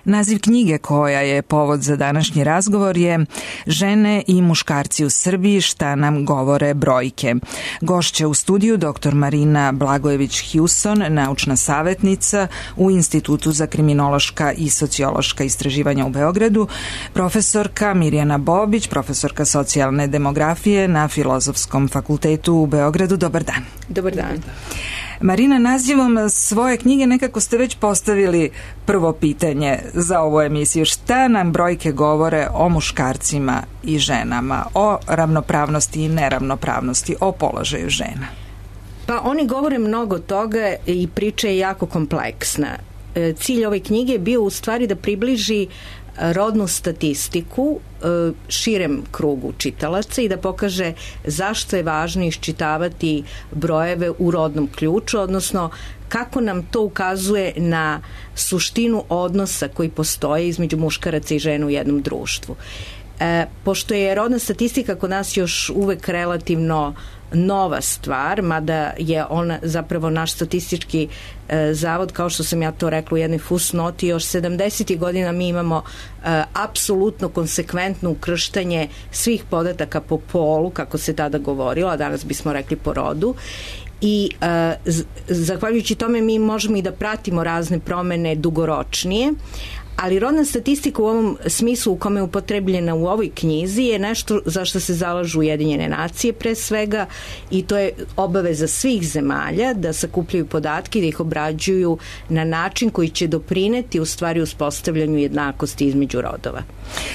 Naziv knjige koja je povod za današnji razgovor je Žene i muškarci u Srbiji, šta nam govore brojke. Gošća u studiju dr. Marina Blagojević-Hewson, naučna savjetnica u Institutu za kriminološka i sociološka istraživanja u Beogradu, profesorka Mirjana Bobić, profesorka socijalne demografije na Filozofskom fakultetu u Beogradu. Dobar dan. Dobar dan. Marina, nazivom svoje knjige nekako ste već postavili prvo pitanje za ovu emisiju. Šta nam brojke govore o muškarcima i ženama, o ravnopravnosti i neravnopravnosti, o položaju žena? Pa oni govore mnogo toga i priča je jako kompleksna. Cilj ove knjige je bio u stvari da približi rodnu statistiku širem krugu čitalaca i da pokaže zašto je važno iščitavati brojeve u rodnom ključu, odnosno kako nam to ukazuje na suštinu odnosa koji postoje između muškaraca i žena u jednom društvu. Pošto je rodna statistika kod nas još uvek relativno nova stvar, mada je ona zapravo naš statistički zavod, kao što sam ja to rekla u jednoj fusnoti, još 70. godina mi imamo apsolutno konsekventno ukrštanje svih podataka po polu, kako se tada govorilo, a danas bismo rekli po rodu. I zahvaljujući tome mi možemo i da pratimo razne promene dugoročnije, ali rodna statistika u ovom smislu u kome je upotrebljena u ovoj knjizi je nešto za što se zalažu Ujedinjene nacije pre svega, i to je obaveza svih zemalja da sakupljaju podatke i da ih obrađuju na način koji će doprineti u stvari uspostavljanju jednakosti između rodova.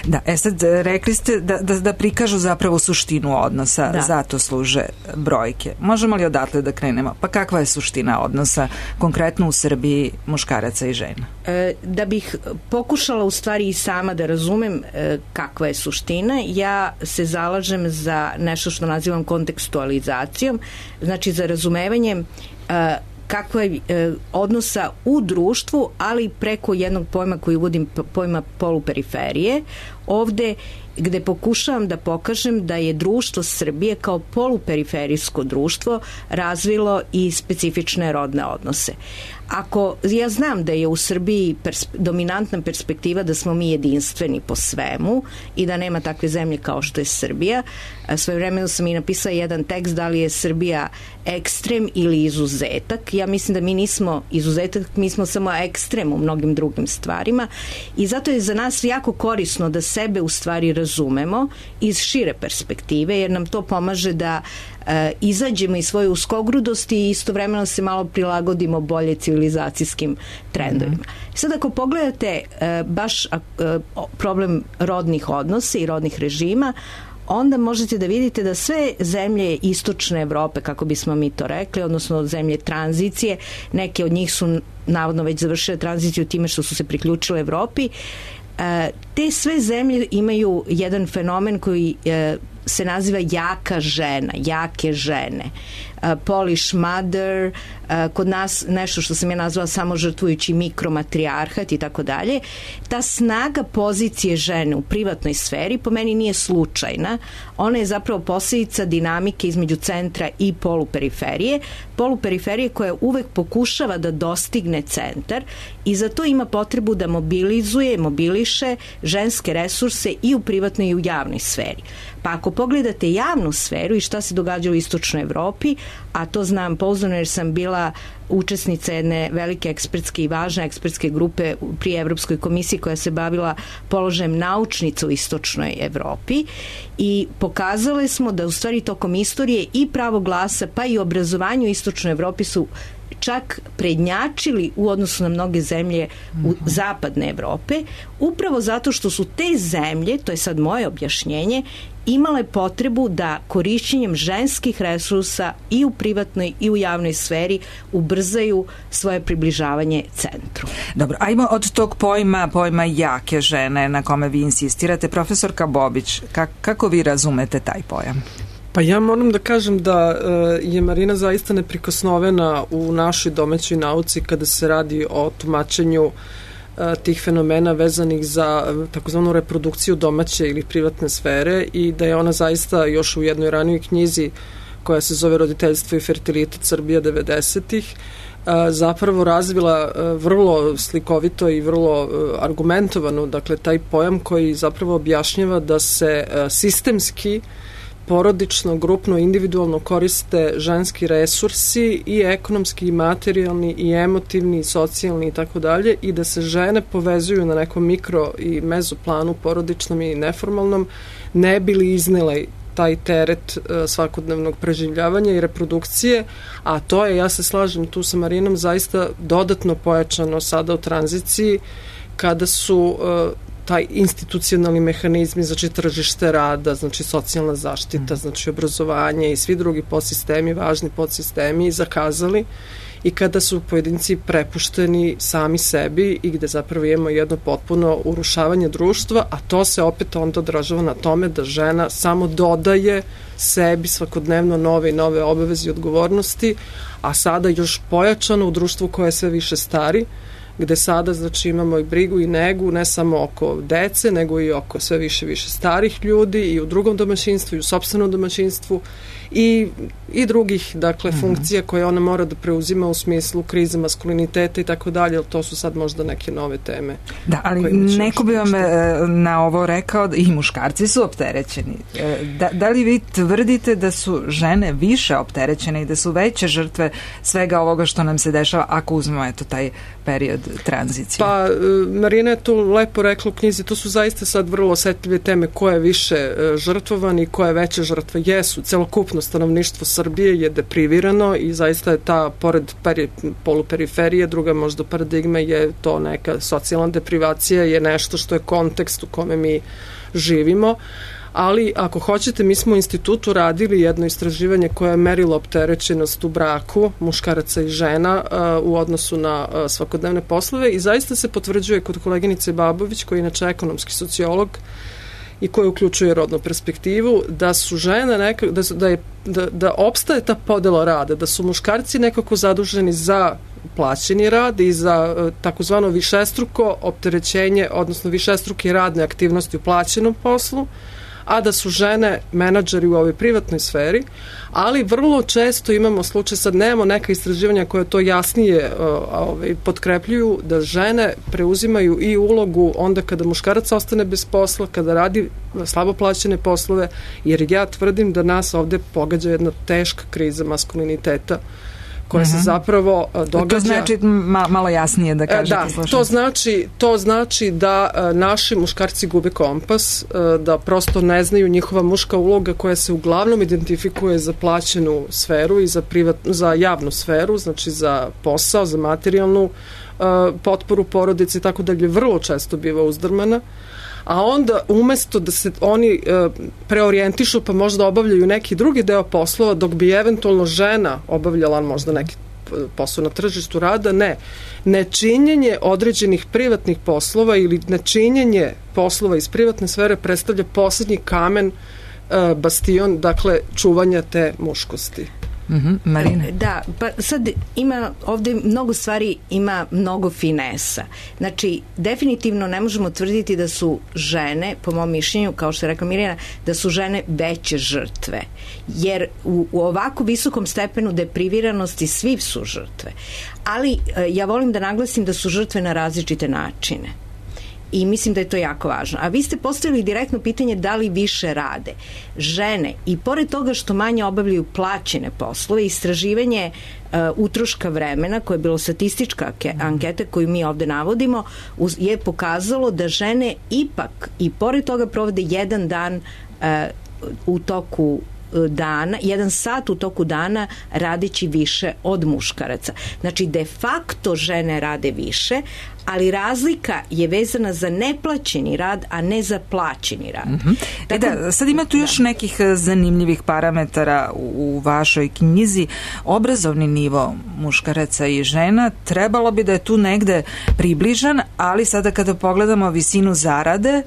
Da, sad rekli ste da prikažu zapravo suštinu odnosa, da. Zato služe brojke. Možemo li odatle da krenemo? Pa kakva je suština odnosa konkretno u Srbiji muškaraca i žena? Da bih pokušala u stvari i sama da razumem kakva je suština, ja se zalažem za nešto što nazivam kontekstualizacijom, znači za razumevanjem kakva je odnosa u društvu, ali preko jednog pojma koji uvodim, pojma poluperiferije. Ovde gde pokušavam da pokažem da je društvo Srbije kao poluperiferijsko društvo razvilo i specifične rodne odnose. Ako ja znam da je u Srbiji dominantna perspektiva da smo mi jedinstveni po svemu i da nema takve zemlje kao što je Srbija, svojevremeno sam i napisala jedan tekst da li je Srbija ekstrem ili izuzetak. Ja mislim da mi nismo izuzetak, mi smo samo ekstrem u mnogim drugim stvarima i zato je za nas jako korisno da sebe u stvari razumemo iz šire perspektive, jer nam to pomaže da izađemo iz svoje uskogrudosti i istovremeno se malo prilagodimo bolje civilizacijskim trendovima. Sad ako pogledate baš problem rodnih odnosa i rodnih režima, onda možete da vidite da sve zemlje istočne Evrope, kako bismo mi to rekli, odnosno zemlje tranzicije, neke od njih su navodno već završile tranziciju time što su se priključile Evropi, te sve zemlje imaju jedan fenomen koji se naziva jaka žena, jake žene. Polish mother, kod nas nešto što sam ja nazvala samo žrtvujući mikromatrijarhat i tako dalje. Ta snaga pozicije žene u privatnoj sferi po meni nije slučajna. Ona je zapravo posljedica dinamike između centra i poluperiferije. Poluperiferije koja uvek pokušava da dostigne centar i zato ima potrebu da mobiliše ženske resurse i u privatnoj i u javnoj sferi. Pa ako pogledate javnu sferu i šta se događa u istočnoj Evropi, a to znam pouzdano jer sam bila učesnica jedne velike ekspertske i važne ekspertske grupe pri Evropskoj komisiji koja se bavila položajem naučnica u istočnoj Evropi, i pokazali smo da u stvari tokom istorije i pravo glasa pa i obrazovanje u istočnoj Evropi su čak prednjačili u odnosu na mnoge zemlje u zapadne Evrope, upravo zato što su te zemlje, to je sad moje objašnjenje, imale potrebu da korišćenjem ženskih resursa i u privatnoj i u javnoj sferi ubrzaju svoje približavanje centru. Dobro, ajmo od tog pojma jake žene na kome vi insistirate. Profesorka Bobić, kako vi razumete taj pojam? Pa ja moram da kažem da je Marina zaista neprikosnovena u našoj domaćoj nauci kada se radi o tumačenju tih fenomena vezanih za takozvanu reprodukciju domaće ili privatne sfere, i da je ona zaista još u jednoj ranijoj knjizi koja se zove Roditeljstvo i fertilitet Srbija 90-ih zapravo razvila vrlo slikovito i vrlo argumentovano, dakle taj pojam koji zapravo objašnjava da se sistemski, porodično, grupno, individualno koriste ženski resursi i ekonomski, i materijalni, i emotivni, i socijalni i tako dalje, i da se žene povezuju na nekom mikro i mezoplanu porodičnom i neformalnom, ne bi li iznele taj teret svakodnevnog preživljavanja i reprodukcije, a to je, ja se slažem tu sa Marinom, zaista dodatno pojačano sada u tranziciji, kada su taj institucionalni mehanizmi, znači tržište rada, znači socijalna zaštita, znači obrazovanje i svi drugi podsistemi, važni podsistemi zakazali, i kada su pojedinci prepušteni sami sebi i gde zapravo imamo jedno potpuno urušavanje društva, a to se opet onda odražava na tome da žena samo dodaje sebi svakodnevno nove i nove obaveze i odgovornosti, a sada još pojačano u društvu koje je sve više stari, gde sada znači imamo i brigu i negu ne samo oko dece, nego i oko sve više starih ljudi i u drugom domaćinstvu i u sopstvenom domaćinstvu i drugih, dakle, funkcija koje ona mora da preuzima u smislu krize maskuliniteta i tako dalje, ali to su sad možda neke nove teme. Da, ali neko bi vam na ovo rekao da i muškarci su opterećeni. Da li vi tvrdite da su žene više opterećene i da su veće žrtve svega ovoga što nam se dešava ako uzmemo eto taj period tranzicije? Pa, Marina je to lepo rekla u knjizi, to su zaista sad vrlo osetljive teme, ko je više žrtvovan i koje veće žrtve jesu. Celokupno stanovništvo Srbije je deprivirano i zaista je ta, pored poluperiferije, druga možda paradigma je to neka socijalna deprivacija, je nešto što je kontekst u kome mi živimo. Ali ako hoćete, mi smo u institutu radili jedno istraživanje koje je merilo opterećenost u braku muškaraca i žena u odnosu na svakodnevne poslove i zaista se potvrđuje kod koleginice Babović, koja je inače ekonomski sociolog i koji uključuje rodnu perspektivu, da su žene da opstaje ta podela rada, da su muškarci nekako zaduženi za plaćeni rad i za takozvano višestruko opterećenje, odnosno višestruke radne aktivnosti u plaćenom poslu, a da su žene menadžeri u ovoj privatnoj sferi, ali vrlo često imamo slučaj, sad nemamo neka istraživanja koje to jasnije potkrepljuju, da žene preuzimaju i ulogu onda kada muškarac ostane bez posla, kada radi slabo plaćene poslove, jer ja tvrdim da nas ovde pogađa jedna teška kriza maskuliniteta koja se zapravo događa. To znači malo jasnije da kažete. Da, to znači da naši muškarci gube kompas, da prosto ne znaju njihova muška uloga koja se uglavnom identifikuje za plaćenu sferu i za javnu sferu, znači za posao, za materijalnu potporu porodice i tako dalje, vrlo često biva uzdrmana. A onda umesto da se oni preorijentišu pa možda obavljaju neki drugi deo poslova, dok bi eventualno žena obavljala možda neki posao na tržištu rada, nečinjenje određenih privatnih poslova ili nečinjenje poslova iz privatne sfere predstavlja poslednji kamen, bastion, dakle, čuvanja te muškosti. Marina. Da, pa sad ima ovde mnogo stvari, ima mnogo finesa. Znači, definitivno ne možemo tvrditi da su žene, po mom mišljenju, kao što je rekla Mirjana, da su žene veće žrtve. Jer u ovako visokom stepenu depriviranosti svi su žrtve. Ali ja volim da naglasim da su žrtve na različite načine. I mislim da je to jako važno. A vi ste postavili direktno pitanje da li više rade. Žene, i pored toga što manje obavljaju plaćene poslove, istraživanje utroška vremena, koje je bilo statistička anketa koju mi ovde navodimo, je pokazalo da žene ipak i pored toga provode jedan dan u toku dana, 1 sat u toku dana radeći više od muškaraca. Znači, de facto žene rade više, ali razlika je vezana za neplaćeni rad, a ne za plaćeni rad. Tako, sad ima tu još nekih zanimljivih parametara u vašoj knjizi. Obrazovni nivo muškaraca i žena trebalo bi da je tu negde približan, ali sada kada pogledamo visinu zarade,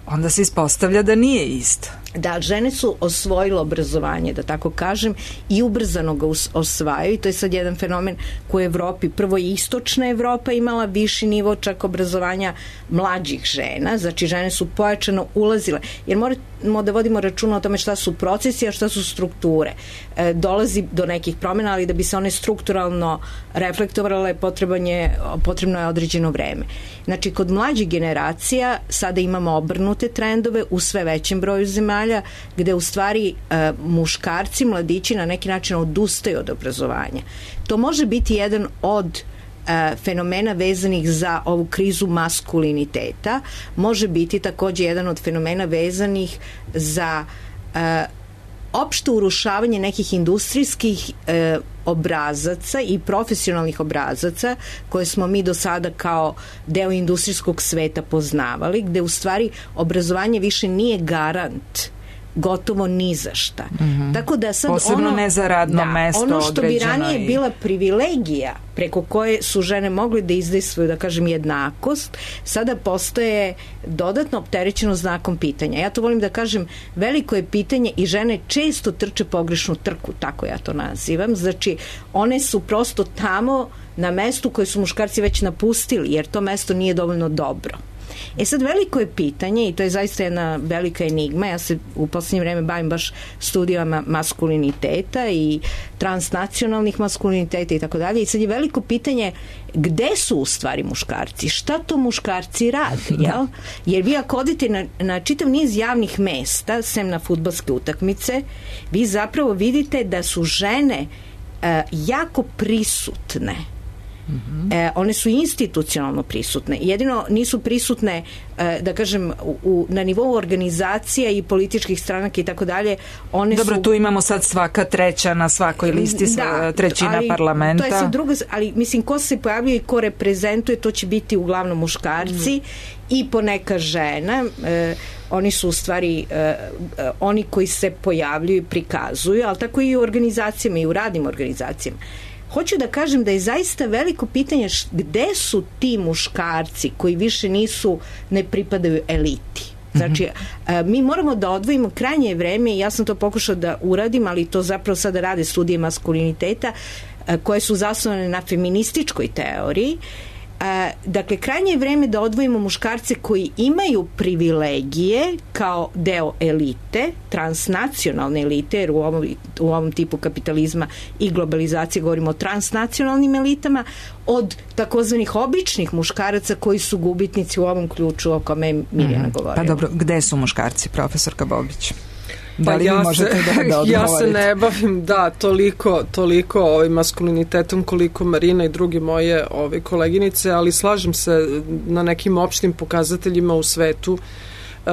onda se ispostavlja da nije isto. da žene su osvojile obrazovanje, da tako kažem, i ubrzano ga osvajaju, i to je sad jedan fenomen koji u Evropi, prvo i istočna Evropa imala viši nivo čak obrazovanja mlađih žena, znači žene su pojačano ulazile, jer moramo da vodimo računa o tome šta su procesi, a šta su strukture. Dolazi do nekih promjena, ali da bi se one strukturalno reflektovale, potrebno je određeno vreme. Znači, kod mlađih generacija sada imamo obrnute trendove u sve većem broju zemalja, gde u stvari muškarci, mladići na neki način odustaju od obrazovanja. To može biti jedan od fenomena vezanih za ovu krizu maskuliniteta, može biti takođe jedan od fenomena vezanih za opšte urušavanje nekih industrijskih obrazaca i profesionalnih obrazaca koje smo mi do sada kao deo industrijskog sveta poznavali, gde u stvari obrazovanje više nije garant gotovo ni za šta. Tako da sad posebno ne za radno mesto ono što bi ranije i bila privilegija preko koje su žene mogli da izdejstvuju, da kažem, jednakost, sada postaje dodatno opterećeno znakom pitanja. Ja to volim da kažem, veliko je pitanje i žene često trče pogrešnu trku, tako ja to nazivam. Znači, one su prosto tamo na mestu koje su muškarci već napustili, jer to mesto nije dovoljno dobro. Sad veliko je pitanje, i to je zaista jedna velika enigma, ja se u poslednje vreme bavim baš studijama maskuliniteta i transnacionalnih maskuliniteta i tako dalje, i sad je veliko pitanje gde su u stvari muškarci, šta to muškarci rade, jel? Jer vi ako odete na čitav niz javnih mesta, sem na fudbalske utakmice, vi zapravo vidite da su žene jako prisutne. One su institucionalno prisutne, jedino nisu prisutne, da kažem, na nivou organizacija i političkih stranaka i tako dalje. Dobro, tu imamo sad svaka treća na svakoj listi, trećina parlamenta. To je sad druga, ali mislim, ko se pojavljuje i ko reprezentuje, to će biti uglavnom muškarci i poneka žena. Oni su u stvari oni koji se pojavljuju i prikazuju, ali tako i u organizacijama i u radnim organizacijama. Hoću da kažem da je zaista veliko pitanje gde su ti muškarci koji više ne pripadaju eliti. Znači, mi moramo da odvojimo krajnje vreme, i ja sam to pokušao da uradim, ali to zapravo sada rade studije maskuliniteta koje su zasnovane na feminističkoj teoriji. Dakle, krajnje je vreme da odvojimo muškarce koji imaju privilegije kao deo elite, transnacionalne elite, jer u ovom tipu kapitalizma i globalizacije govorimo o transnacionalnim elitama, od takozvanih običnih muškaraca koji su gubitnici u ovom ključu o kome je Mirjana govorila. Pa dobro, gde su muškarci, profesorka Bobić? Da li možete da odgovorite? Ja se ne bavim, toliko maskulinitetom koliko Marina i drugi moje koleginice, ali slažem se na nekim opštim pokazateljima u svetu,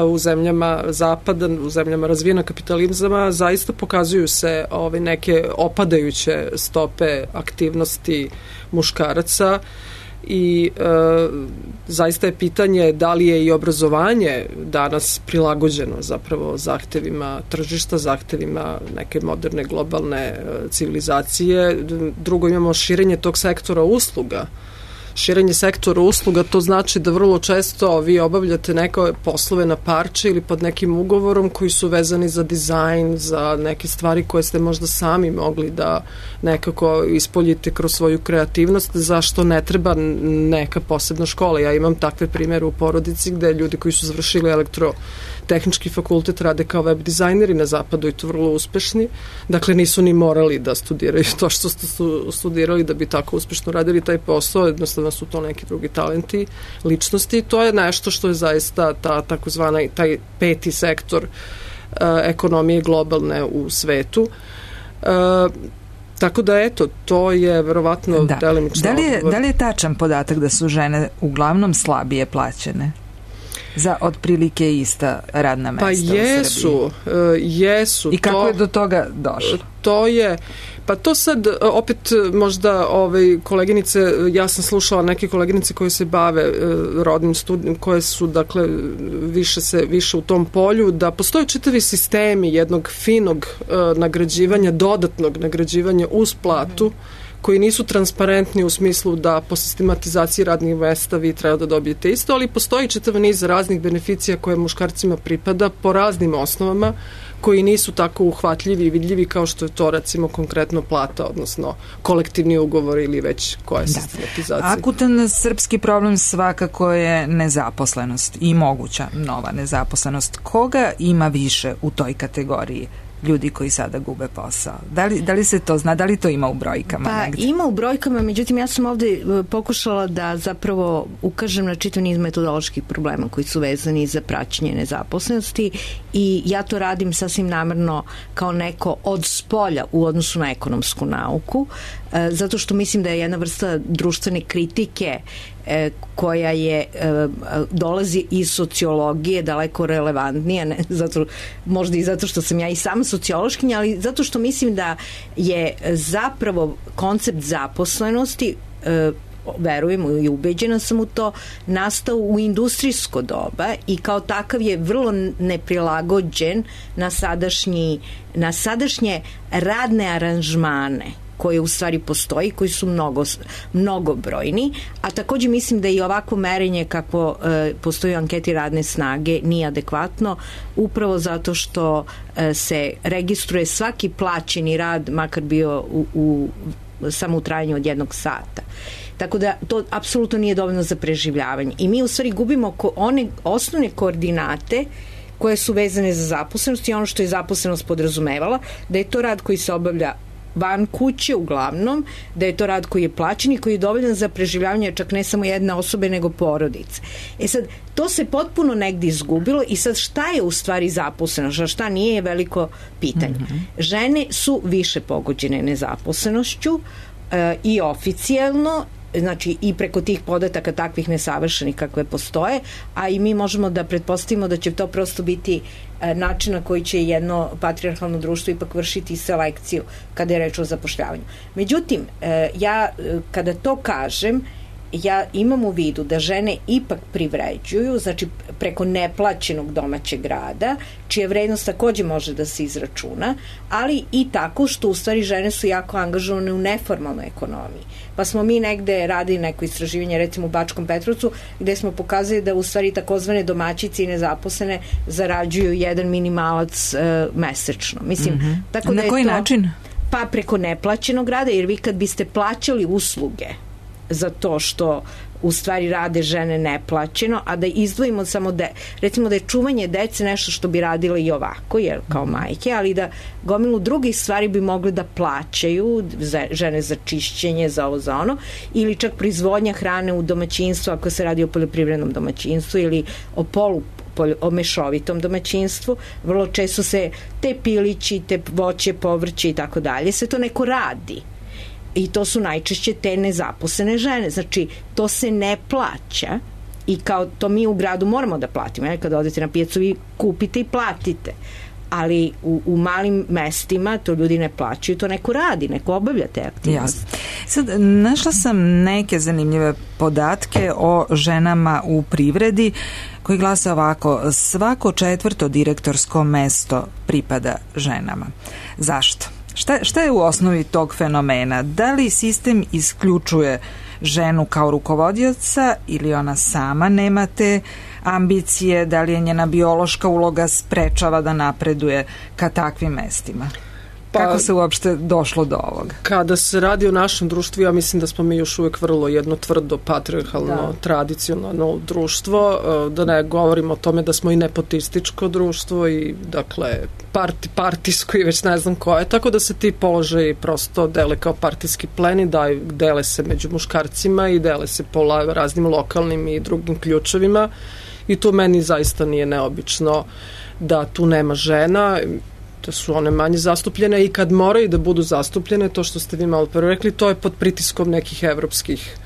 u zemljama zapada, u zemljama razvijena kapitalizama, zaista pokazuju se neke opadajuće stope aktivnosti muškaraca i zaista je pitanje da li je i obrazovanje danas prilagođeno zapravo zahtevima tržišta, zahtevima neke moderne globalne civilizacije. Drugo, imamo širenje tog sektora usluga. Širenje sektora usluga, to znači da vrlo često vi obavljate neke poslove na parče ili pod nekim ugovorom koji su vezani za dizajn, za neke stvari koje ste možda sami mogli da nekako ispoljite kroz svoju kreativnost, zašto ne treba neka posebna škola. Ja imam takve primere u porodici gde ljudi koji su završili elektrotehnički fakultet rade kao web dizajneri na zapadu i to vrlo uspešni. Dakle, nisu ni morali da studiraju to što su studirali da bi tako uspešno radili taj posao, jednostavno su to neki drugi talenti, ličnosti, i to je nešto što je zaista taj peti sektor ekonomije globalne u svetu. Tako da, eto, to je verovatno delimično odgovor. Da li je tačan podatak da su žene uglavnom slabije plaćene za otprilike ista radna mesta u Srbiji? Jesu. I kako je do toga došlo? To sad, opet možda koleginice, ja sam slušala neke koleginice koje se bave rodnim studijom, koje su, dakle, više u tom polju, da postoje čitavi sistemi jednog finog nagrađivanja, dodatnog nagrađivanja uz platu, koji nisu transparentni u smislu da po sistematizaciji radnih mesta vi treba da dobijete isto, ali postoji čitav niz raznih beneficija koje muškarcima pripada po raznim osnovama koji nisu tako uhvatljivi i vidljivi kao što je to recimo konkretno plata, odnosno kolektivni ugovor ili već koja je sistematizacija. Akutan srpski problem svakako je nezaposlenost i moguća nova nezaposlenost. Koga ima više u toj kategoriji ljudi koji sada gube posao? Da li se to zna? Da li to ima u brojkama? Pa negdje? Ima u brojkama, međutim ja sam ovde pokušala da zapravo ukažem na čitav niz metodoloških problema koji su vezani za praćenje nezaposlenosti i ja to radim sasvim namerno kao neko od spolja u odnosu na ekonomsku nauku, zato što mislim da je jedna vrsta društvene kritike koja dolazi iz sociologije daleko relevantnija, ne, možda i zato što sam ja i sama sociološkinja, ali zato što mislim da je zapravo koncept zaposlenosti, verujem i ubeđena sam u to, nastao u industrijsko doba i kao takav je vrlo neprilagođen na sadašnje radne aranžmane koje u stvari postoji, koji su mnogobrojni, a takođe mislim da i ovako merenje kako postoji u anketi radne snage nije adekvatno, upravo zato što se registruje svaki plaćeni rad, makar bio samo u trajanju od 1 sata. Tako da to apsolutno nije dovoljno za preživljavanje. I mi u stvari gubimo one osnovne koordinate koje su vezane za zaposlenost i ono što je zaposlenost podrazumevala, da je to rad koji se obavlja van kuće uglavnom, da je to rad koji je plaćen i koji je dovoljan za preživljavanje čak ne samo jedne osobe nego porodice. Sad, to se potpuno negdje izgubilo i sad šta je u stvari zaposleno, šta nije je veliko pitanje. Žene su više pogođene nezaposlenošću i oficijelno, znači i preko tih podataka takvih nesavršenih kakve postoje, a i mi možemo da pretpostavimo da će to prosto biti način na koji će jedno patrijarhalno društvo ipak vršiti selekciju kada je reč o zapošljavanju. Međutim, ja kada to kažem, ja imam u vidu da žene ipak privređuju, znači preko neplaćenog domaćeg rada, čija vrednost takođe može da se izračuna, ali i tako što u stvari žene su jako angažovane u neformalnoj ekonomiji. Pa smo mi negde radili neko istraživanje, recimo u Bačkom Petrovcu, gde smo pokazali da u stvari takozvane domaćice i nezaposlene zarađuju jedan minimalac mesečno. Mislim, tako na da koji način? Pa preko neplaćenog rada, jer vi kad biste plaćali usluge za to što u stvari rade žene neplaćeno, a da izdvojimo samo recimo da je čuvanje dece nešto što bi radile i ovako, jer kao majke, ali da gomilu drugih stvari bi mogli da plaćaju žene za čišćenje, za ovo, za ono, ili čak proizvodnja hrane u domaćinstvu ako se radi o poljoprivrednom domaćinstvu ili o mešovitom domaćinstvu. Vrlo često se te pilići, te voće, povrće i tako dalje, sve to neko radi. I to su najčešće te nezaposlene žene. Znači, to se ne plaća i kao to mi u gradu moramo da platimo. Kada odete na pijacu, vi kupite i platite. Ali u malim mestima to ljudi ne plaćaju, to neko radi, neko obavlja te aktivnosti. Jasno. Sad, našla sam neke zanimljive podatke o ženama u privredi koji glase ovako: svako 4. direktorsko mesto pripada ženama. Zašto? Šta je u osnovi tog fenomena? Da li sistem isključuje ženu kao rukovodioca ili ona sama nema te ambicije? Da li je njena biološka uloga sprečava da napreduje ka takvim mestima? Kako se uopšte došlo do ovoga? Kada se radi o našem društvu, ja mislim da smo mi još uvijek vrlo jedno tvrdo, patrijarhalno, tradicionalno društvo, da ne govorimo o tome da smo i nepotističko društvo i dakle partijsko i već ne znam koje, tako da se ti položaji prosto dele kao partijski pleni, dele se među muškarcima i dele se po raznim lokalnim i drugim ključevima i to meni zaista nije neobično da tu nema žena, da su one manje zastupljene i kad moraju da budu zastupljene, to što ste vi malo prvo rekli, to je pod pritiskom nekih evropskih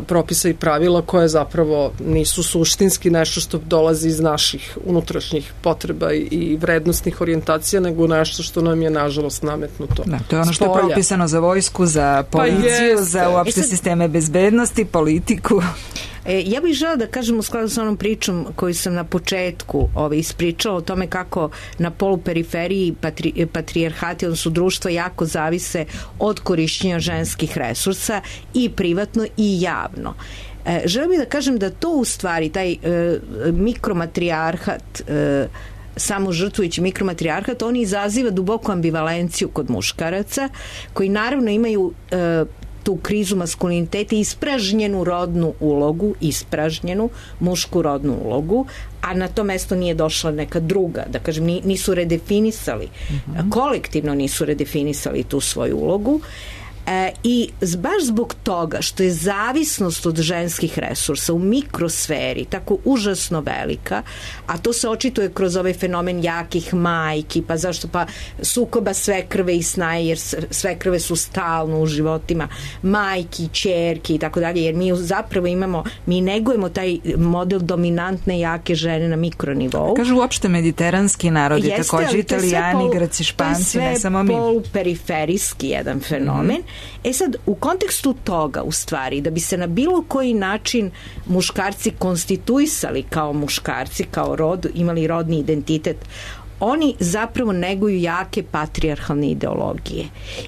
propisa i pravila koje zapravo nisu suštinski nešto što dolazi iz naših unutrašnjih potreba i vrednostnih orijentacija, nego nešto što nam je nažalost nametnuto. Da, to je ono što je propisano za vojsku, za policiju, za uopšte sisteme bezbednosti, politiku. Ja bih žela da kažem u skladu sa onom pričom koju sam na početku ispričala o tome kako na poluperiferiji patrijarhati, odnosno društva, jako zavise od korišćenja ženskih resursa i privatno i javno. Želim bih da kažem da to u stvari, taj mikromatrijarhat, samo žrtvujući mikromatrijarhat, on izaziva duboku ambivalenciju kod muškaraca, koji naravno imaju tu krizu maskuliniteta i ispražnjenu rodnu ulogu, ispražnjenu mušku rodnu ulogu, a na to mesto nije došla neka druga, da kažem, nisu redefinisali, kolektivno nisu redefinisali tu svoju ulogu. I baš zbog toga što je zavisnost od ženskih resursa u mikrosferi tako užasno velika, a to se očituje kroz ovaj fenomen jakih majki, pa zašto, pa sukoba svekrve i snaje, jer svekrve su stalno u životima majki, ćerki i tako dalje, jer mi zapravo mi negujemo taj model dominantne jake žene na mikronivou. Kažu uopšte mediteranski narodi, takođe Italijani, Grci, Španci, ne samo mi. To je sve poluperiferijski jedan fenomen. Sad, u kontekstu toga, u stvari, da bi se na bilo koji način muškarci konstituisali kao muškarci, kao rod, imali rodni identitet, oni zapravo neguju jake patrijarhalne ideologije.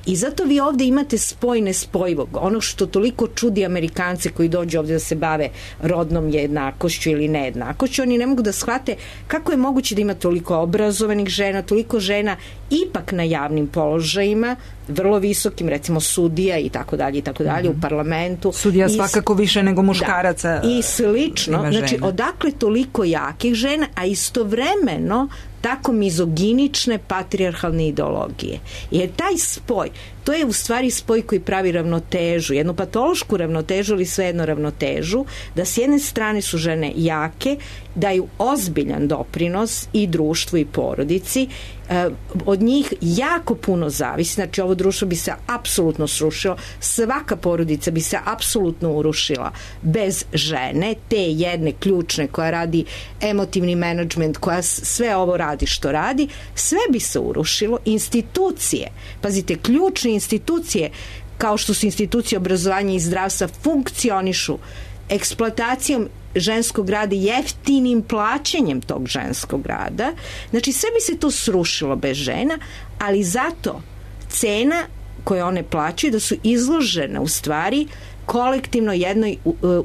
I zato vi ovde imate spoj nespojivog. Ono što toliko čudi Amerikance koji dođu ovde da se bave rodnom jednakošću ili nejednakošću, oni ne mogu da shvate kako je moguće da ima toliko obrazovanih žena, toliko žena ipak na javnim položajima, vrlo visokim, recimo sudija i tako dalje, u parlamentu. Sudija svakako više nego muškaraca. Da, i slično. Znači, odakle toliko jakih žena, a istovremeno tako mizoginične patrijarhalne ideologije. Jer taj spoj, to je u stvari spoj koji pravi ravnotežu, jednu patološku ravnotežu ili svejedno ravnotežu, da s jedne strane su žene jake, daju ozbiljan doprinos i društvu i porodici, od njih jako puno zavisi, znači ovo društvo bi se apsolutno srušilo, svaka porodica bi se apsolutno urušila bez žene, te jedne ključne koja radi emotivni menadžment, koja sve ovo radi što radi, sve bi se urušilo, institucije, pazite, ključne institucije kao što su institucije obrazovanja i zdravstva funkcionišu eksploatacijom ženskog rada, jeftinim plaćanjem tog ženskog rada. Znači sve bi se to srušilo bez žena, ali zato cena koju one plaćaju da su izložene u stvari kolektivno jednoj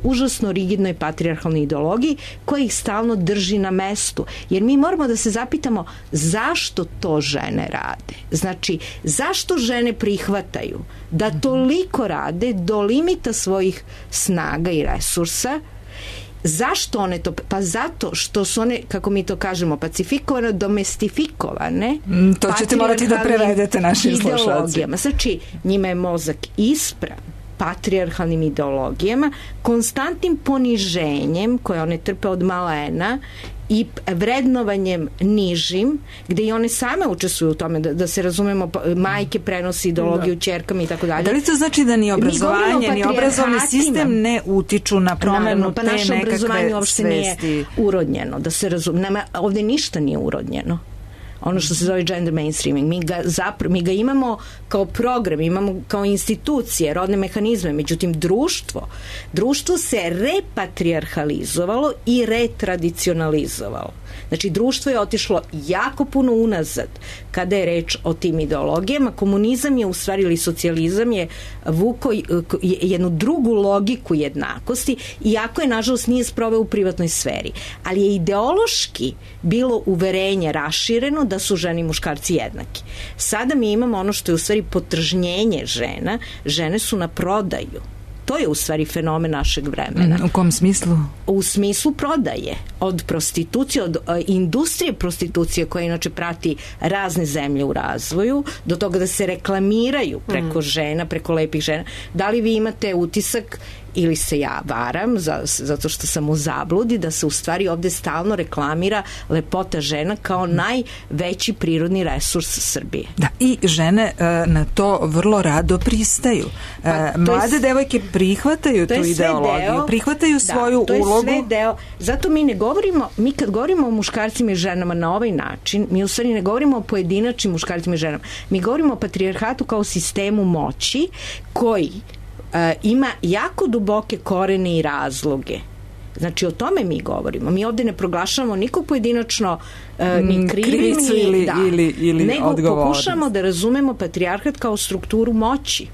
užasno rigidnoj patrijarhalnoj ideologiji koja ih stalno drži na mestu. Jer mi moramo da se zapitamo zašto to žene rade. Znači, zašto žene prihvataju da toliko rade do limita svojih snaga i resursa. Zašto one to? Pa zato što su one, kako mi to kažemo, pacifikovane, domestifikovane. To ćete morati da prevedete našim slušalcima. Znači, njima je mozak ispran patrijarhalnim ideologijama, konstantnim poniženjem koje one trpe od malena i vrednovanjem nižim, gde i one same učestvuju u tome, da se razumemo, majke prenosi ideologiju ćerkama i tako dalje. Da li to znači da ni obrazovanje, ni obrazovni sistem ne utiču na promenu te nekakve svesti? Pa naše obrazovanje uopšte nije urodnjeno, da se razumemo. Ovde ništa nije urodnjeno. Ono što se zove gender mainstreaming. Mi ga imamo kao program, imamo kao institucije, rodne mehanizme, međutim društvo se repatrijarhalizovalo i retradicionalizovalo. Znači, društvo je otišlo jako puno unazad kada je reč o tim ideologijama. Komunizam je u stvari, ili socijalizam je vukao jednu drugu logiku jednakosti, iako je, nažalost, nije sproveo u privatnoj sferi. Ali je ideološki bilo uverenje rašireno da su žene i muškarci jednaki. Sada mi imamo ono što je u stvari potržnjenje žena. Žene su na prodaju. To je u stvari fenomen našeg vremena. U kom smislu? U smislu prodaje. Od prostitucije, od industrije prostitucije koja inače prati razne zemlje u razvoju, do toga da se reklamiraju preko žena, preko lepih žena. Da li vi imate utisak ili se ja varam zato što sam u zabludi da se u stvari ovde stalno reklamira lepota žena kao najveći prirodni resurs Srbije. Da, i žene na to vrlo rado pristaju. Mlade devojke prihvataju tu ideologiju, prihvataju svoju ulogu. To je sve deo. Zato mi kad govorimo o muškarcima i ženama na ovaj način, mi u stvari ne govorimo o pojedinačnim muškarcima i ženama. Mi govorimo o patrijarhatu kao sistemu moći koji ima jako duboke korene i razloge Znači, o tome mi govorimo. Mi ovde ne proglašavamo nikog pojedinačno ni krivicu ili nego odgovornost. Pokušamo da razumemo patrijarhat kao strukturu moći.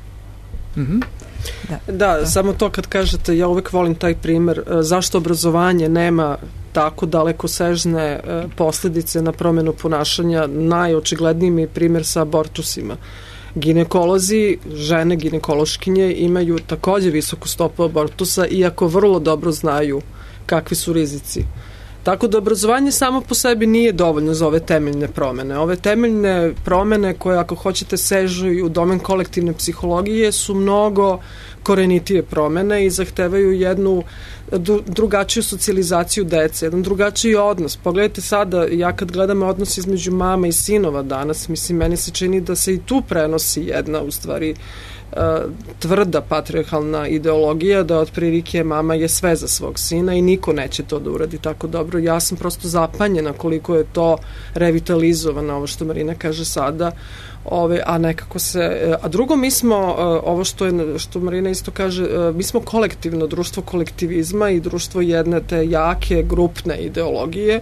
Da, samo to kad kažete, ja uvek volim taj primer, zašto obrazovanje nema tako dalekosežne posledice na promenu ponašanja. Najočigledniji mi je primer sa abortusima. Ginekolozi, žene ginekološkinje imaju takođe visoku stopu abortusa, iako vrlo dobro znaju kakvi su rizici. Tako da obrazovanje samo po sebi nije dovoljno za ove temeljne promene. Ove temeljne promene koje, ako hoćete, sežu i u domen kolektivne psihologije, su mnogo korenitije promene i zahtevaju jednu drugačiju socijalizaciju dece, jedan drugačiji odnos. Pogledajte sada, ja kad gledam odnos između mama i sinova danas, mislim, meni se čini da se i tu prenosi jedna, u stvari, tvrda patrijarhalna ideologija, da otprilike mama je sve za svog sina i niko neće to da uradi tako dobro. Ja sam prosto zapanjena koliko je to revitalizovano, ovo što Marina kaže sada, a nekako se... A drugo, mi smo, ovo što Marina isto kaže, mi smo kolektivno, društvo kolektivizma i društvo jedne te jake, grupne ideologije,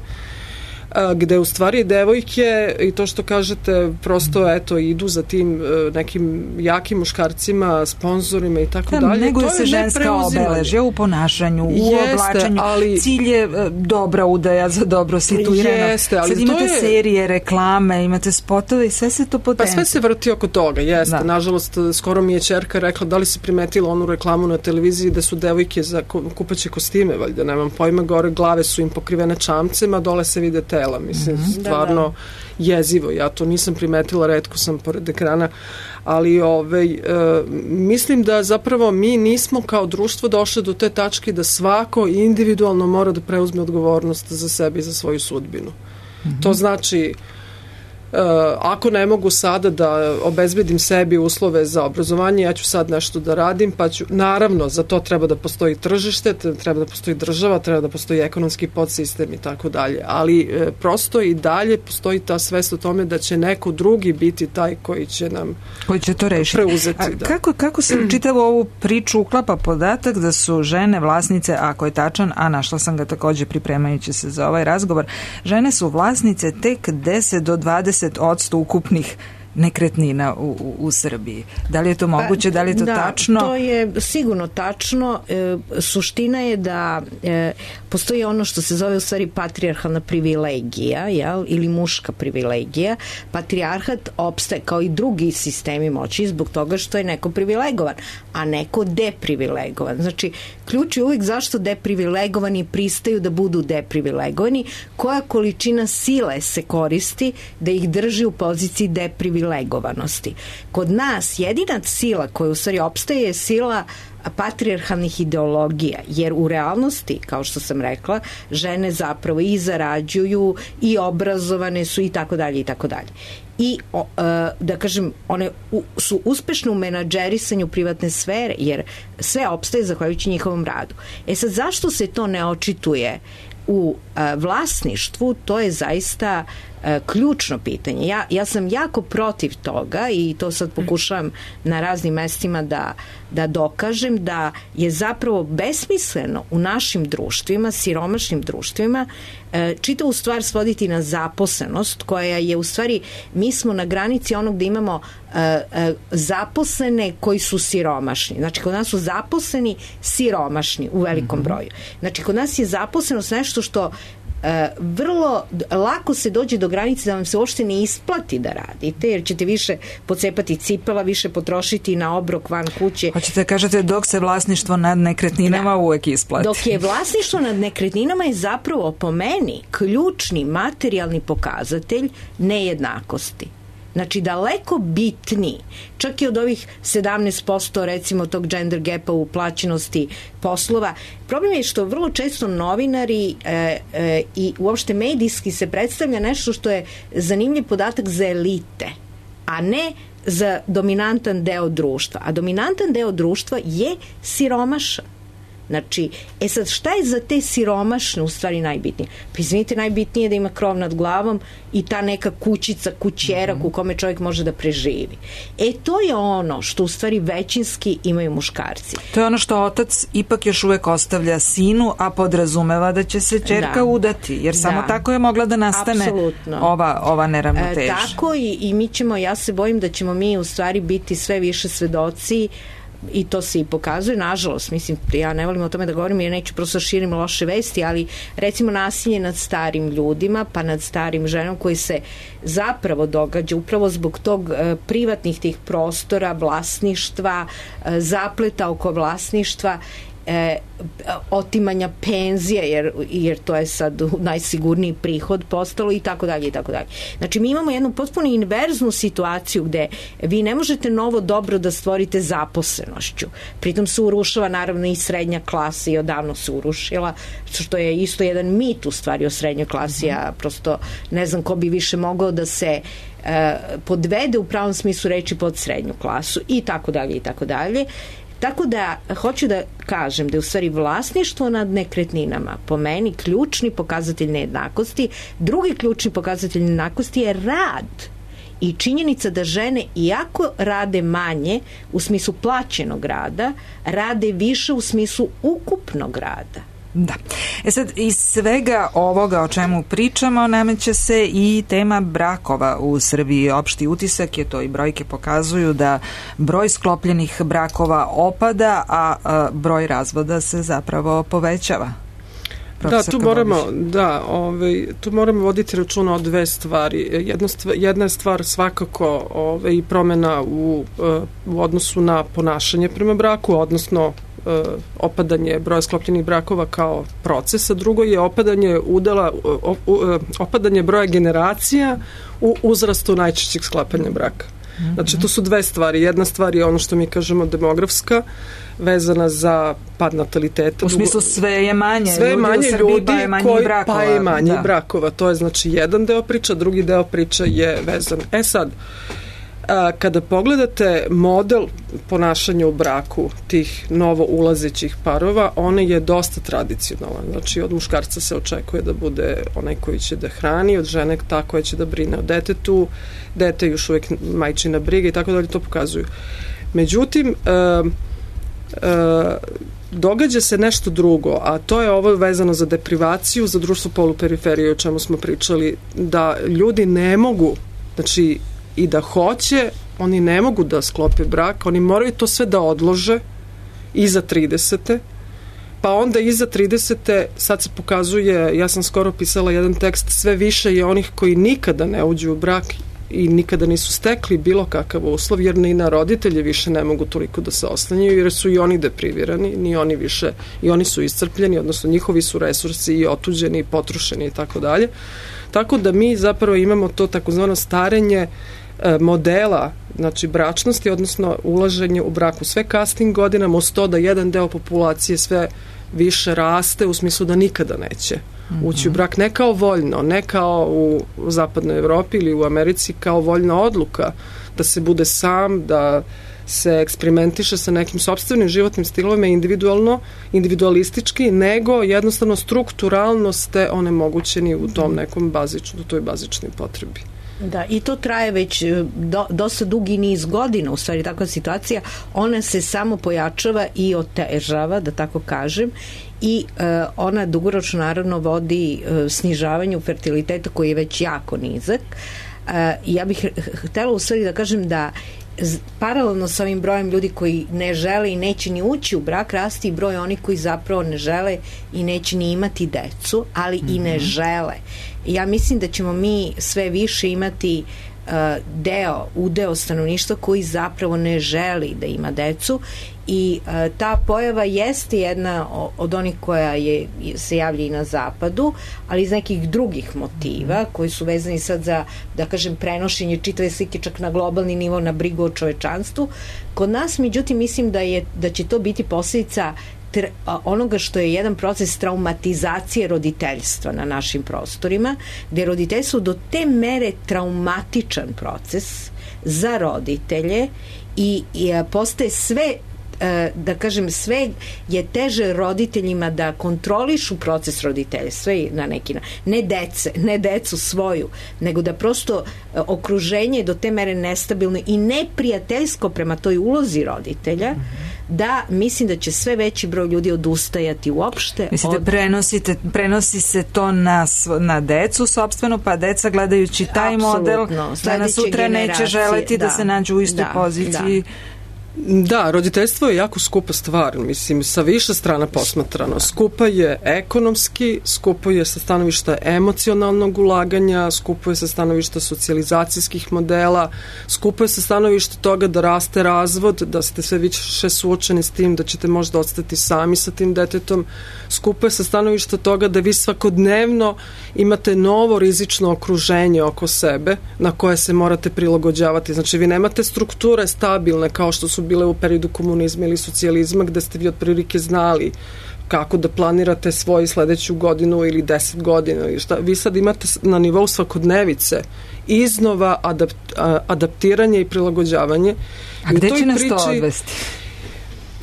gde u stvari devojke, i to što kažete, prosto eto idu za tim nekim jakim muškarcima, sponzorima i tako dalje. Neguje se ženska obeležja u ponašanju, u oblačenju. Cilj je dobra udaja za dobro situirano. Sad imate serije, reklame, imate spotove i sve se to potenti. Pa sve se vrti oko toga, jeste. Nažalost, skoro mi je ćerka rekla, da li si primetila onu reklamu na televiziji da su devojke za kupaće kostime, valjda, nemam pojma, gore glave su im pokrivene čamcem, a dole se vide tela. Mislim, stvarno jezivo. Ja to nisam primetila, retko sam pored ekrana, ali mislim da zapravo mi nismo kao društvo došli do te tačke da svako individualno mora da preuzme odgovornost za sebe i za svoju sudbinu. To znači, ako ne mogu sada da obezbedim sebi uslove za obrazovanje, ja ću sad nešto da radim, pa ću, naravno, za to treba da postoji tržište, treba da postoji država, treba da postoji ekonomski podsistem i tako dalje, ali prosto i dalje postoji ta svest o tome da će neko drugi biti taj koji će nam to rešiti. Preuzeti. Kako se u čitavu ovu priču uklapa podatak da su žene vlasnice, ako je tačan, a našla sam ga takođe pripremajući se za ovaj razgovor, žene su vlasnice tek 10 do 20% ukupnih nekretnina u Srbiji. Da li je to moguće, da li je to tačno? Da, to je sigurno tačno. Suština je da postoji ono što se zove u stvari patrijarhalna privilegija, ili muška privilegija. Patrijarhat opstaje kao i drugi sistemi moći zbog toga što je neko privilegovan, a neko deprivilegovan. Znači, ključ je uvijek zašto deprivilegovani pristaju da budu deprivilegovani, koja količina sile se koristi da ih drži u poziciji deprivilegovanosti. Kod nas jedina sila koja u stvari opstaje je sila patrijarhalnih ideologija, jer u realnosti, kao što sam rekla, žene zapravo i zarađuju i obrazovane su i tako dalje i tako dalje. I da kažem, one su uspešne u menadžerisanju privatne sfere, jer sve opstaje zahvaljujući njihovom radu. Sad, zašto se to ne očituje u vlasništvu? To je zaista ključno pitanje. Ja sam jako protiv toga i to sad pokušavam na raznim mestima da dokažem da je zapravo besmisleno u našim društvima, siromašnim društvima, čitavu stvar svoditi na zaposlenost, koja je u stvari, mi smo na granici onog da imamo zaposlene koji su siromašni. Znači, kod nas su zaposleni siromašni u velikom broju. Znači, kod nas je zaposlenost nešto što vrlo lako se dođe do granice da vam se uopšte ne isplati da radite, jer ćete više pocepati cipela, više potrošiti na obrok van kuće. Hoćete da kažete, dok se vlasništvo nad nekretninama uvek isplati. Dok je vlasništvo nad nekretninama je zapravo po meni ključni materijalni pokazatelj nejednakosti. Znači, daleko bitniji, čak i od ovih 17% recimo tog gender gapa u plaćenosti poslova. Problem je što vrlo često novinari i uopšte medijski se predstavlja nešto što je zanimljiv podatak za elite, a ne za dominantan deo društva. A dominantan deo društva je siromašan. Znači, sad šta je za te siromašne u stvari najbitnije? Pa izvinite, najbitnije je da ima krov nad glavom i ta neka kućica, kućerak u kome čovjek može da preživi. To je ono što u stvari većinski imaju muškarci. To je ono što otac ipak još uvek ostavlja sinu, a podrazumeva da će se ćerka udati, jer samo tako je mogla da nastane ova neravnoteža. Tako i mi ćemo, ja se bojim da ćemo mi u stvari biti sve više svedoci i to se i pokazuje, nažalost, mislim, ja ne volim o tome da govorim jer neću prosto širim loše vesti, ali recimo nasilje nad starim ljudima, pa nad starim ženom koji se zapravo događa upravo zbog tog privatnih tih prostora, vlasništva, zapleta oko vlasništva, otimanja penzije jer to je sad najsigurniji prihod postalo i tako dalje i tako dalje. Znači mi imamo jednu potpuno inverznu situaciju gde vi ne možete novo dobro da stvorite zaposlenošću. Pritom se urušava naravno i srednja klasa i odavno se urušila, što je isto jedan mit u stvari o srednjoj klasi. Ja prosto ne znam ko bi više mogao da se podvede u pravom smislu reči pod srednju klasu i tako dalje i tako dalje. Tako da, hoću da kažem da je u stvari vlasništvo nad nekretninama po meni ključni pokazatelj nejednakosti. Drugi ključni pokazatelj nejednakosti je rad i činjenica da žene, iako rade manje u smislu plaćenog rada, rade više u smislu ukupnog rada. Da. Sad, iz svega ovoga o čemu pričamo nameće se i tema brakova u Srbiji. Opšti utisak je to i brojke pokazuju da broj sklopljenih brakova opada, a broj razvoda se zapravo povećava. Tu moramo voditi računa o dve stvari. Jedna je stvar svakako i promena u odnosu na ponašanje prema braku, odnosno opadanje broja sklopljenih brakova kao procesa. Drugo je opadanje broja generacija u uzrastu najčešćeg sklapanja braka. Znači, to su dve stvari. Jedna stvar je ono što mi kažemo demografska, vezana za pad nataliteta. U smislu sve je manje ljudi, pa je manje brakova. To je znači jedan deo priča, drugi deo priča je vezan. Sad, kada pogledate model ponašanja u braku tih novo ulazećih parova, on je dosta tradicionalan. Znači, od muškarca se očekuje da bude onaj koji će da hrani, od žene ta koja će da brine o detetu, dete još uvijek majčina briga i tako dalje, to pokazuju. Međutim, događa se nešto drugo, a to je ovo vezano za deprivaciju, za društvo poluperiferije, o čemu smo pričali, da ljudi ne mogu, znači, i da hoće, oni ne mogu da sklope brak, oni moraju to sve da odlože iza 30. Pa onda iza 30. sad se pokazuje, ja sam skoro pisala jedan tekst, sve više je onih koji nikada ne uđu u brak i nikada nisu stekli bilo kakav uslov, jer ni na roditelje više ne mogu toliko da se oslanjaju, jer su i oni deprivirani, ni oni više, i oni su iscrpljeni, odnosno njihovi su resursi i otuđeni i potrošeni i tako dalje. Tako da mi zapravo imamo to takozvano starenje modela, znači bračnosti, odnosno ulaženje u braku sve kasnim godinama, uz to da jedan deo populacije sve više raste u smislu da nikada neće ući u brak, ne kao voljno, ne kao u zapadnoj Evropi ili u Americi kao voljna odluka da se bude sam, da se eksperimentiše sa nekim sopstvenim životnim stilovima individualistički, nego jednostavno strukturalno ste onemogućeni u tom nekom toj bazičnoj potrebi. Da, i to traje već dosta dugi niz godina, u stvari takva situacija, ona se samo pojačava i otežava, da tako kažem, i ona dugoročno naravno vodi snižavanju fertiliteta koji je već jako nizak. Ja bih htela u stvari da kažem da paralelno sa ovim brojem ljudi koji ne žele i neće ni ući u brak, rasti i broj onih koji zapravo ne žele i neće ni imati decu, ali i ne žele. Ja mislim da ćemo mi sve više imati udeo stanovništva koji zapravo ne želi da ima decu i ta pojava jeste jedna od onih koja se javlja i na zapadu, ali iz nekih drugih motiva koji su vezani sad za, da kažem, prenošenje čitave slike čak na globalni nivo, na brigu o čovečanstvu. Kod nas, međutim, mislim da će to biti posljedica onoga što je jedan proces traumatizacije roditeljstva na našim prostorima, gde je roditeljstvo do te mere traumatičan proces za roditelje i postaje sve da kažem, sve je teže roditeljima da kontrolišu proces roditeljstva i na neki ne decu svoju, nego da prosto okruženje je do te mere nestabilno i neprijateljsko prema toj ulozi roditelja, da mislim da će sve veći broj ljudi odustajati uopšte. Mislite, prenosi se to na decu sopstveno, pa deca gledajući taj model danas sutra neće želeti da se nađu u istoj poziciji. Da, roditeljstvo je jako skupa stvar, mislim, sa više strana posmatrano. Skupa je ekonomski, skupo je sa stanovišta emocionalnog ulaganja, skupo je sa stanovišta socijalizacijskih modela, skupo je sa stanovišta toga da raste razvod, da ste sve više suočeni s tim da ćete možda ostati sami sa tim detetom, skupo je sa stanovišta toga da vi svakodnevno imate novo rizično okruženje oko sebe na koje se morate prilagođavati. Znači, vi nemate strukture stabilne kao što su bile u periodu komunizma ili socijalizma, gde ste vi otprilike znali kako da planirate svoju sledeću godinu ili 10 godina ili šta. Vi sad imate na nivou svakodnevice iznova adaptiranje i prilagođavanje. A gde će nas to odvesti?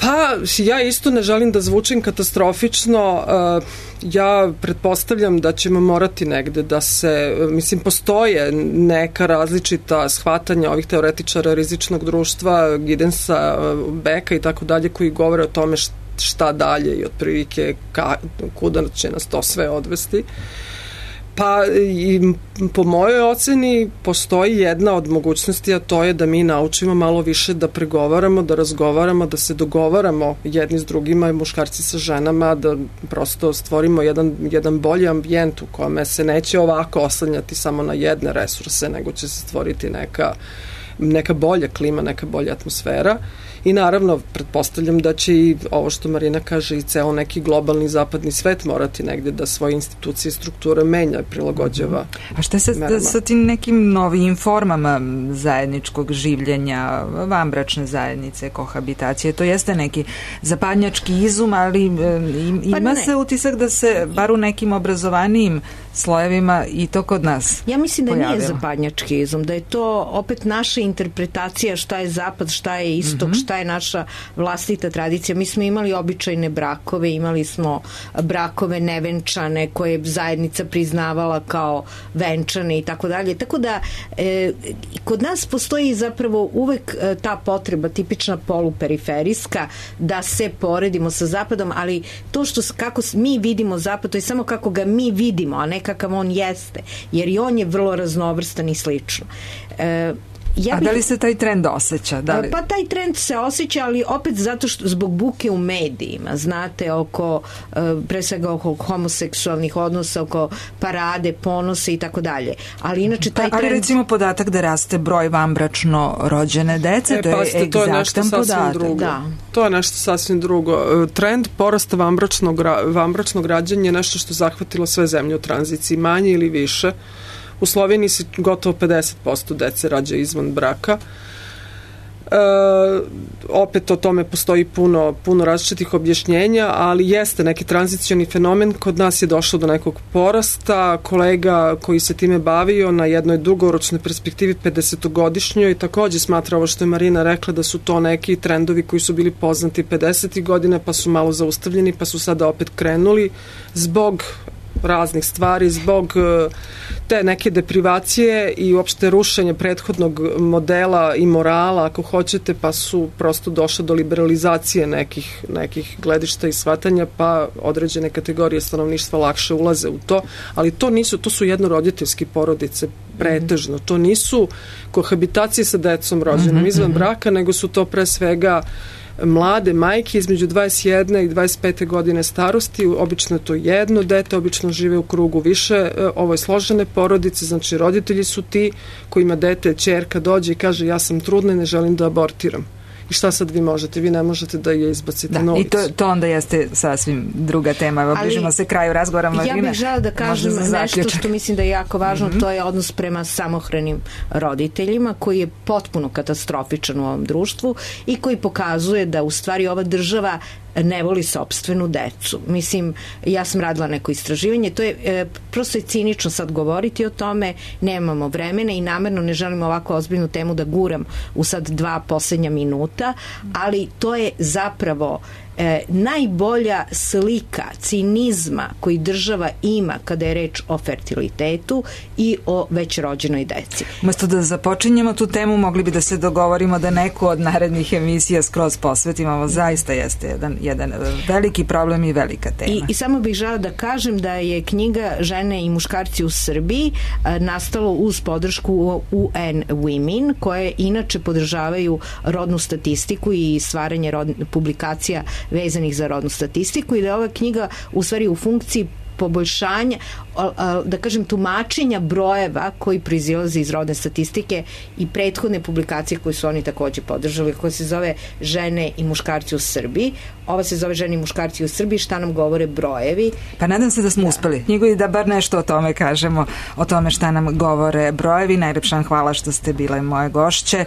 Pa, ja isto ne želim da zvučim katastrofično. Ja pretpostavljam da ćemo morati negde da se, mislim, postoje neka različita shvatanja ovih teoretičara rizičnog društva, Gidensa, Beka i tako dalje, koji govore o tome šta dalje i otprilike kuda će nas to sve odvesti. Pa i po mojoj oceni postoji jedna od mogućnosti, a to je da mi naučimo malo više da pregovaramo, da razgovaramo, da se dogovaramo jedni s drugima i muškarci sa ženama, da prosto stvorimo jedan bolji ambijent u kome se neće ovako oslanjati samo na jedne resurse, nego će se stvoriti neka bolja klima, neka bolja atmosfera. I naravno, pretpostavljam da će i ovo što Marina kaže i ceo neki globalni zapadni svet morati negde da svoje institucije i strukture menja i prilagođava. A šta se sa tim nekim novim formama zajedničkog življenja, vanbračne zajednice, kohabitacije? To jeste neki zapadnjački izum, ali ima se utisak da se, bar u nekim obrazovanijim slojevima, i to kod nas Ja mislim da pojavilo. Nije zapadnjački izum, da je to opet naša interpretacija šta je zapad, šta je istok, šta je naša vlastita tradicija. Mi smo imali običajne brakove, imali smo brakove nevenčane koje je zajednica priznavala kao venčane i tako dalje. Tako da kod nas postoji zapravo uvek ta potreba tipična poluperiferijska da se poredimo sa zapadom, ali to kako mi vidimo zapad, to je samo kako ga mi vidimo, a ne kakav on jeste, jer i on je vrlo raznovrstan i slično. A da li se taj trend osjeća? Pa taj trend se osjeća, ali opet zato što zbog buke u medijima, znate, pre svega oko homoseksualnih odnosa, oko parade, ponose i tako dalje. Ali inače taj trend... Ali recimo podatak da raste broj vanbračno rođene dece, to je egzaktan podatak. Da. To je nešto sasvim drugo. Trend porasta vanbračnog rađanja je nešto što zahvatilo sve zemlje u tranziciji, manje ili više. U Sloveniji se gotovo 50% dece rađa izvan braka. Opet o tome postoji puno različitih objašnjenja, ali jeste neki tranzicioni fenomen. Kod nas je došlo do nekog porasta. Kolega koji se time bavio na jednoj dugoročnoj perspektivi 50-godišnjoj takođe smatra ovo što je Marina rekla, da su to neki trendovi koji su bili poznati 50. godine, pa su malo zaustavljeni, pa su sada opet krenuli zbog raznih stvari, zbog te neke deprivacije i uopšte rušenja prethodnog modela i morala, ako hoćete, pa su prosto došle do liberalizacije nekih gledišta i shvatanja, pa određene kategorije stanovništva lakše ulaze u to, ali to su jednoroditeljski porodice pretežno, to nisu kohabitacije sa decom rođenom izvan braka, nego su to pre svega mlade majke između 21 i 25 godine starosti, obično je to jedno dete, obično žive u krugu više, ovo je složene porodice, znači roditelji su ti kojima dete, ćerka dođe i kaže ja sam trudna i ne želim da abortiram. I šta sad vi možete? Vi ne možete da je izbacite na ulicu. I to onda jeste sasvim druga tema. Bližimo se kraju razgovora, Marina. Ja bih žela da kažem nešto što mislim da je jako važno, to je odnos prema samohranim roditeljima, koji je potpuno katastrofičan u ovom društvu i koji pokazuje da u stvari ova država ne voli sopstvenu decu. Mislim, ja sam radila neko istraživanje, to je prosto je cinično sad govoriti o tome, nemamo vremena i namerno ne želim ovako ozbiljnu temu da guram u sad 2 poslednja minuta, ali to je zapravo najbolja slika cinizma koji država ima kada je reč o fertilitetu i o već rođenoj deci. Umesto da započinjemo tu temu, mogli bi da se dogovorimo da neku od narednih emisija skroz posvetimo. Ovo zaista jeste jedan veliki problem i velika tema. I samo bih žela da kažem da je knjiga Žene i muškarci u Srbiji nastalo uz podršku UN Women, koje inače podržavaju rodnu statistiku i stvaranje publikacija vezanih za rodnu statistiku i da je ova knjiga u stvari u funkciji poboljšanja, da kažem, tumačenja brojeva koji proizilaze iz rodne statistike i prethodne publikacije koje su oni takođe podržali, koja se zove Žene i muškarci u Srbiji. Ova se zove Žene i muškarci u Srbiji, šta nam govore brojevi. Pa nadam se da smo uspeli knjigu i da bar nešto o tome kažemo, o tome šta nam govore brojevi. Najlepša hvala što ste bile moje gošće.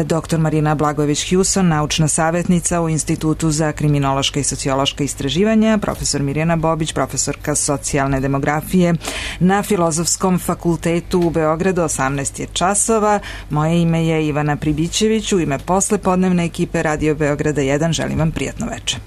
Dr. Marina Blagojević-Hewson, naučna savjetnica u Institutu za kriminološka i sociološka istraživanja, profesor Mirjana Bobić, profesorka socijalne demografije na Filozofskom fakultetu u Beogradu. 18 je časova. Moje ime je Ivana Pribićević. U ime poslepodnevne ekipe Radio Beograda 1 želim vam prijatno večer.